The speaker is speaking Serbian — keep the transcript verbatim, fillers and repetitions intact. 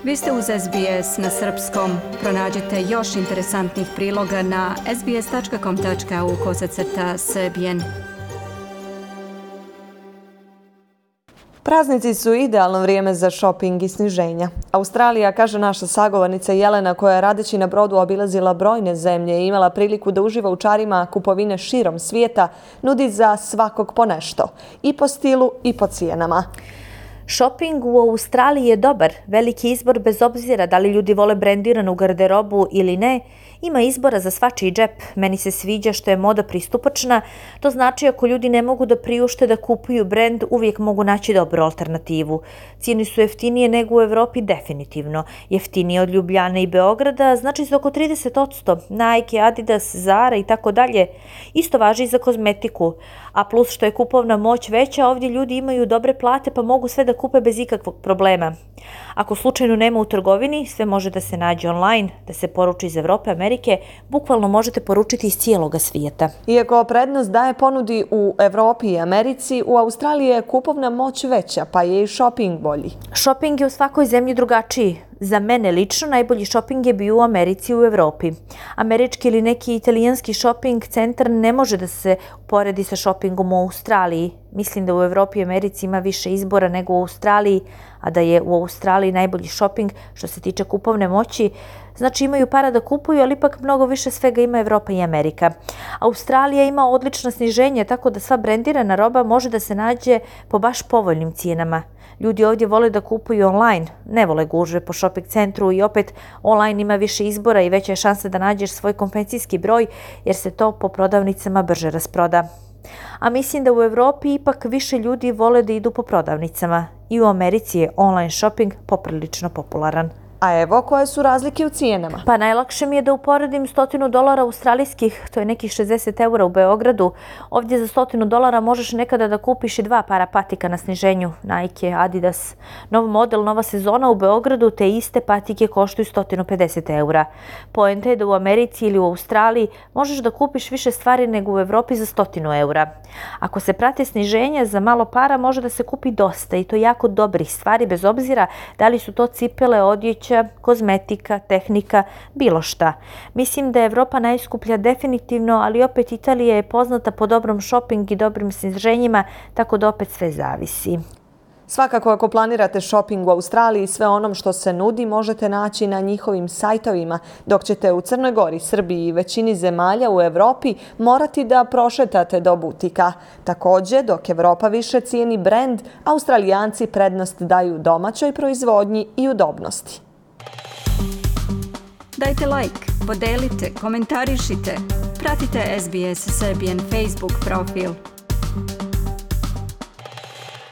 Vi ste uz S B S na srpskom. Pronađite još interesantnih priloga na sbs tačka com tačka au kosacrta srbijen. Praznici su idealno vrijeme za šoping i sniženja. Australija, kaže naša sagovornica Jelena, koja je radeći na brodu obilazila brojne zemlje i imala priliku da uživa u čarima kupovine širom svijeta, nudi za svakog po nešto. I po stilu i po cijenama. Shopping u Australiji je dobar, veliki izbor bez obzira da li ljudi vole brendiranu garderobu ili ne, ima izbora za svačiji džep. Meni se sviđa što je moda pristupačna, to znači ako ljudi ne mogu da priušte da kupuju brend, uvijek mogu naći dobru alternativu. Cijene su jeftinije nego u Evropi definitivno, jeftinije od Ljubljane i Beograda, znači za oko trideset posto, Nike, Adidas, Zara i tako dalje. Isto važi i za kozmetiku, a plus što je kupovna moć veća, ovdje ljudi imaju dobre plate pa mogu sve da kupe bez ikakvog problema. Ako slučajno nema u trgovini, sve može da se nađe online, da se poruči iz Evrope, Amerike, bukvalno možete poručiti iz cijeloga svijeta. Iako prednost daje ponudi u Evropi i Americi, u Australiji je kupovna moć veća, pa je i shopping bolji. Shopping je u svakoj zemlji drugačiji. Za mene lično najbolji shopping je bio u Americi i u Evropi. Američki ili neki italijanski shopping centar ne može da se uporedi sa shoppingom u Australiji. Mislim da u Evropi i Americi ima više izbora nego u Australiji, a da je u Australiji najbolji shopping što se tiče kupovne moći. Znači imaju para da kupuju, ali ipak mnogo više svega ima Evropa i Amerika. Australija ima odlična sniženja, tako da sva brendirana roba može da se nađe po baš povoljnim cijenama. Ljudi ovdje vole da kupuju online, ne vole gužve po shopping centru i opet online ima više izbora i veća je šansa da nađeš svoj kompencijski broj jer se to po prodavnicama brže rasproda. A mislim da u Evropi ipak više ljudi vole da idu po prodavnicama i u Americi je online shopping poprilično popularan. A evo koje su razlike u cijenama. Pa najlakše mi je da uporedim stotinu dolara australijskih, to je nekih šezdeset eura u Beogradu. Ovdje za stotinu dolara možeš nekada da kupiš i dva para patika na sniženju, Nike, Adidas. Nov model, nova sezona u Beogradu, te iste patike koštuju sto pedeset eura. Poenta je da u Americi ili u Australiji možeš da kupiš više stvari nego u Evropi za stotinu eura. Ako se prate sniženja, za malo para može da se kupi dosta i to jako dobrih stvari, bez obzira da li su to cipele, odjeća, kozmetika, tehnika, bilo šta. Mislim da je Evropa najskuplja definitivno, ali opet Italija je poznata po dobrom shopping i dobrim sniženjima, tako da opet sve zavisi. Svakako ako planirate shopping u Australiji, sve onom što se nudi možete naći na njihovim sajtovima, dok ćete u Crnoj Gori, Srbiji i većini zemalja u Evropi morati da prošetate do butika. Također, dok Evropa više cijeni brend, Australijanci prednost daju domaćoj proizvodnji i udobnosti. Dajte like, podelite, komentarišite. Pratite S B S Serbian Facebook profil.